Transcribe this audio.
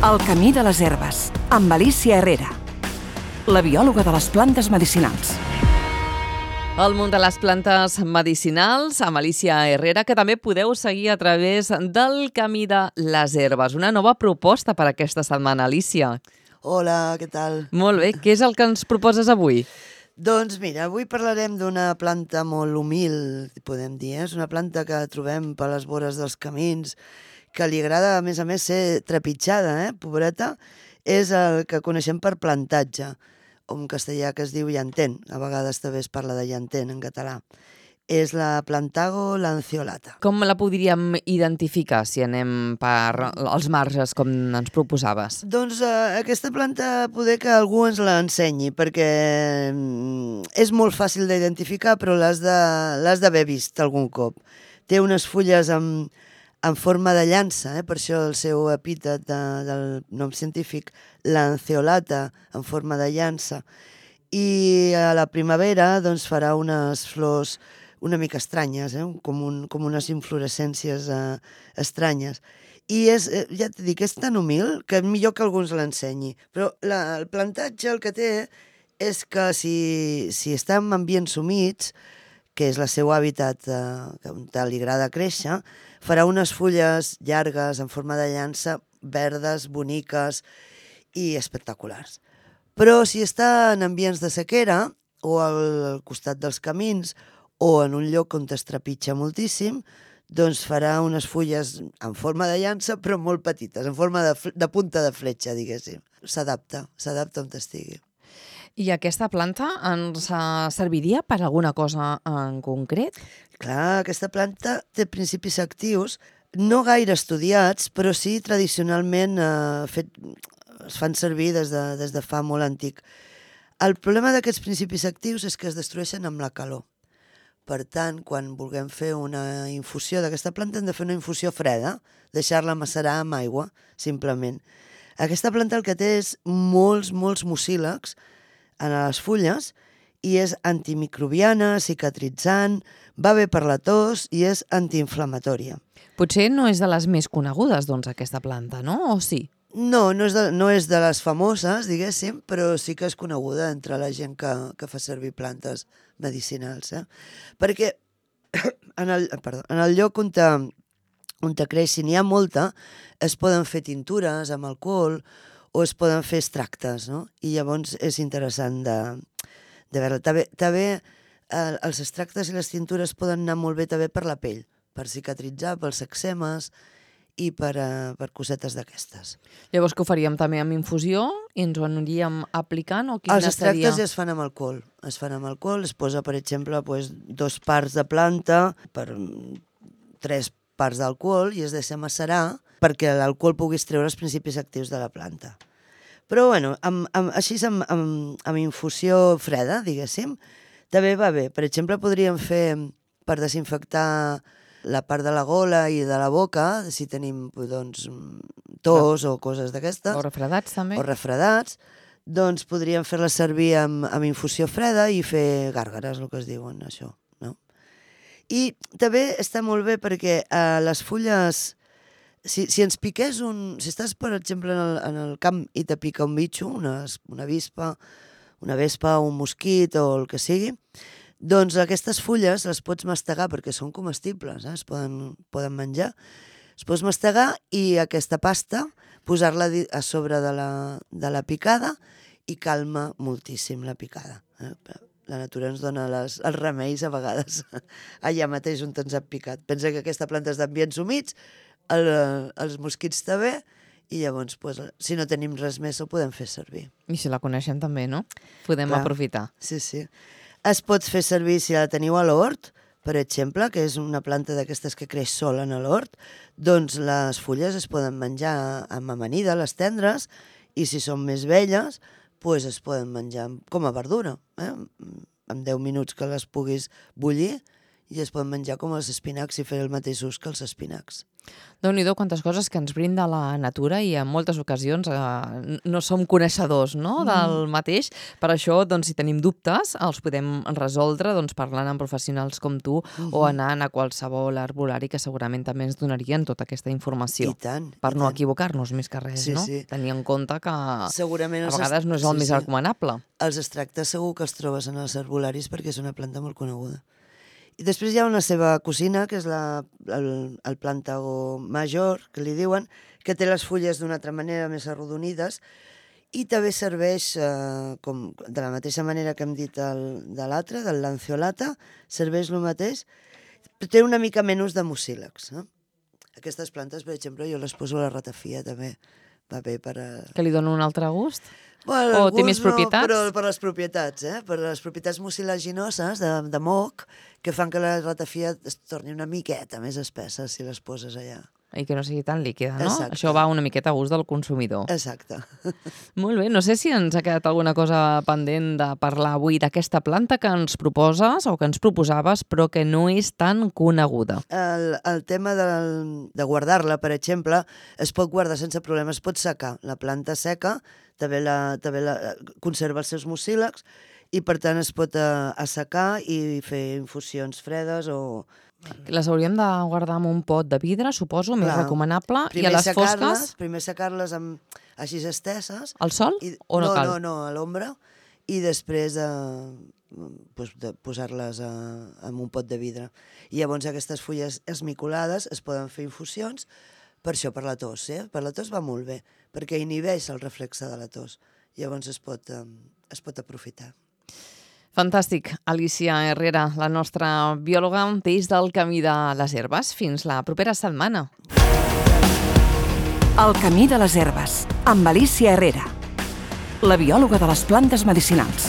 El camí de les herbes, amb Alicia Herrera, la biòloga de les plantes medicinals. El món de les plantes medicinals, amb Alicia Herrera, que també podeu seguir a través del Camí de les Herbes. Una nova proposta per aquesta setmana, Alicia. Hola, què tal? Molt bé, què és el que ens proposes avui? Doncs mira, avui parlarem d'una planta molt humil, podem dir. És una planta que trobem per les vores dels camins, que li agrada, a més, ser trepitjada, pobreta. És el que coneixem per plantatge, o en castellà que es diu llantén. A vegades també es parla de llantén en català. És la Plantago lanceolata. Com la podríem identificar si anem per els marges, com ens proposaves? Doncs aquesta planta poder que algú ens l'ensenyi, perquè és molt fàcil d'identificar, però l'has d'haver vist algun cop. Té unes fulles en forma de llança, per això el seu epítet del nom científic, lanceolata, en forma de llança. I a la primavera doncs, farà unes flors una mica estranyes, com unes inflorescències estranyes. I ja t'he dit, és tan humil que millor que algú ens l'ensenyi. Però el plantatge el que té és que si està en ambients humits, que és el seu hàbitat on li agrada créixer, farà unes fulles llargues en forma de llança, verdes, boniques i espectaculars. Però si està en ambients de sequera, o al costat dels camins, o en un lloc on es trepitja moltíssim, doncs farà unes fulles en forma de llança, però molt petites, en forma de punta de fletxa, diguéssim. S'adapta on estigui. I aquesta planta ens serviria per alguna cosa en concret? Clar, aquesta planta té principis actius no gaire estudiats, però sí tradicionalment es fan servir des de fa molt antic. El problema d'aquests principis actius és que es destrueixen amb la calor. Per tant, quan vulguem fer una infusió d'aquesta planta, hem de fer una infusió freda, deixar-la macerar amb aigua, simplement. Aquesta planta el que té és molts mucílags en les fulles i és antimicrobiana, cicatritzant, va bé per la tos i és antiinflamatòria. Potser no és de les més conegudes, doncs, aquesta planta, no? O sí? No és de les famoses, diguéssim, però sí que és coneguda entre la gent que fa servir plantes medicinals. Perquè en el lloc on creix, si n'hi ha molta, es poden fer tintures amb alcohol o es poden fer extractes, no? I llavors és interessant de veure. També els extractes i les tintures poden anar molt bé també per la pell, per cicatritzar, pels eczemes i per cosetes d'aquestes. Llavors que ho faríem també amb infusió i ens ho aniríem aplicant? O Els extractes ja es fan amb alcohol. Es posa, per exemple, 2 parts de planta per 3 parts d'alcohol i es deixa macerar perquè l'alcohol puguis treure els principis actius de la planta. Però, bueno, així amb infusió freda, diguéssim, també va bé. Per exemple, podríem fer, per desinfectar la part de la gola i de la boca, si tenim tos o coses d'aquestes. O refredats, també. O refredats, doncs podríem fer-la servir amb infusió freda i fer gàrgares, el que es diuen, això. No? I també està molt bé perquè les fulles... Si ens piqués si estàs, per exemple, en el camp i te pica un bitxo, una vespa, un mosquit o el que sigui, doncs aquestes fulles les pots mastegar perquè són comestibles, es poden menjar. Es pots mastegar i aquesta pasta posar-la a sobre de la picada i calma moltíssim la picada. La natura ens dona els remeis a vegades allà mateix on ens ha picat. Pensa que aquesta planta és d'ambients humits, els mosquits també, i llavors, si no tenim res més, ho podem fer servir. I si la coneixem també, no? Podem aprofitar. Sí. Es pot fer servir si la teniu a l'hort, per exemple, que és una planta d'aquestes que creix sola en l'hort, doncs les fulles es poden menjar amb amanida, les tendres, i si són més velles, doncs es poden menjar com a verdura. En 10 minuts que les puguis bullir, i es poden menjar com els espinacs i fer el mateix ús que els espinacs. Déu-n'hi-do quantes coses que ens brinda la natura i en moltes ocasions no som coneixedors, no, del mateix. Per això, doncs, si tenim dubtes, els podem resoldre parlant amb professionals com tu o anant a qualsevol herbolari que segurament també ens donarien tota aquesta informació. I tant. Per no equivocar-nos més que res, no? Sí. Tenir en compte que segurament a vegades no és el més recomanable. Els extractes segur que els trobes en els herbolaris perquè és una planta molt coneguda. I després hi ha una seva cosina, que és el plàntago major, que li diuen, que té les fulles d'una altra manera, més arrodonides, i també serveix, de la mateixa manera que hem dit de l'altre, del lanceolata, serveix el mateix, però té una mica menys de mucílags. Aquestes plantes, per exemple, jo les poso a la ratafia, també va bé per... Que li dona un altre gust? Bueno, o té més propietats? Però per les propietats, per les propietats mucilaginoses de moc, que fan que la ratafia es torni una miqueta més espessa si les poses allà. I que no sigui tan líquida, no? Exacte. Això va una miqueta a gust del consumidor. Exacte. Molt bé, no sé si ens ha quedat alguna cosa pendent de parlar avui d'aquesta planta que ens proposes o que ens proposaves, però que no és tan coneguda. El tema de guardar-la, per exemple, es pot guardar sense problemes, es pot secar. La planta seca també conserva els seus mucílags i, per tant, es pot assecar i fer infusions fredes o... Les hauríem de guardar en un pot de vidre, suposo, més recomanable. I a les fosques? Primer secar-les així esteses. Al sol o no cal? No, a l'ombra. I després posar-les en un pot de vidre. I llavors aquestes fulles esmicolades es poden fer infusions, per això, per la tos. Per la tos va molt bé, perquè inhibeix el reflexe de la tos. Llavors es pot aprofitar. Fantàstic. Alícia Herrera, la nostra biòloga des del Camí de les Herbes. Fins la propera setmana. El Camí de les Herbes, amb Alícia Herrera, la biòloga de les plantes medicinals.